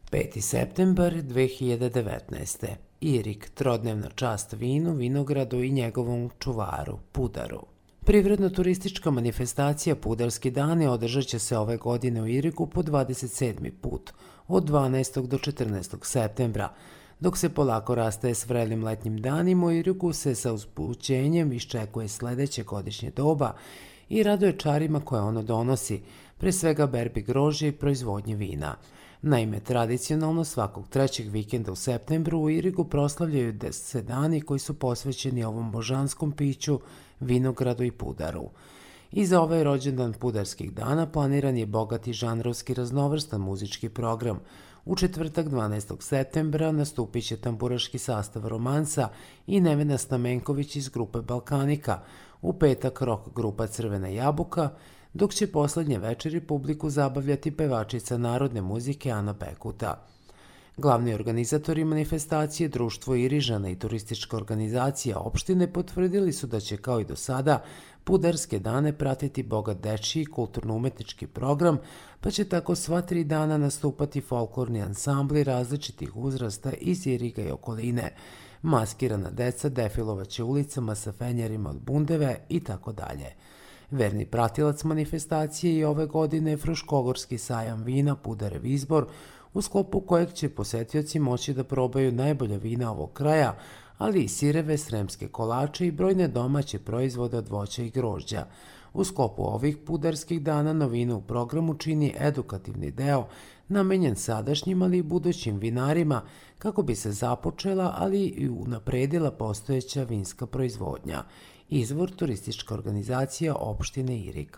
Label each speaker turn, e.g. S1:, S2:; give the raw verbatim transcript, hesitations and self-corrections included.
S1: peti septembar dve hiljade devetnaeste. Irig, trodnevna čast vinu, vinogradu i njegovom čuvaru, Pudaru. Privredno-turistička manifestacija Pudarski dani održat će se ove godine u Irigu po dvadeset sedmi put, od dvanaestog do četrnaestog septembra. Dok se polako rastaje s vrelim letnjim danima, u Irigu se sa uzbuđenjem iščekuje sledeće godišnje doba i raduje čarima koje ono donosi, pre svega berbi grožđa i proizvodnje vina. Naime, tradicionalno svakog trećeg vikenda u septembru u Irigu proslavljaju se dani koji su posvećeni ovom božanskom piću, vinogradu i pudaru. I za ovaj rođendan Pudarskih dana planiran je bogat i žanrovski raznovrstan muzički program. U četvrtak dvanaestog septembra nastupit će tamburaški sastav Romansa i Nevena Stamenković iz grupe Balkanika, u petak rock grupa Crvena jabuka, dok će poslednje večeri publiku zabavljati pevačica narodne muzike Ana Bekuta. Glavni organizatori manifestacije, Društvo Irižana i turistička organizacija opštine potvrdili su da će kao i do sada Pudarske dane pratiti bogat dečiji kulturno-umetnički program, pa će tako sva tri dana nastupati folklorni ansambli različitih uzrasta iz Iriga i okoline. Maskirana deca defilovaće ulicama sa fenjerima od bundeve i tako dalje. Verni pratilac manifestacije i ove godine je Fruškogorski sajam vina Pudarev izbor, u sklopu kojeg će posetioci moći da probaju najbolja vina ovog kraja, ali i sireve, sremske kolače i brojne domaće proizvode od voća i grožđa. U sklopu ovih Pudarskih dana novinu u programu čini edukativni deo namenjen sadašnjim, ali i budućim vinarima kako bi se započela, ali i unapredila postojeća vinska proizvodnja. Izvor turistička organizacija opštine Irig.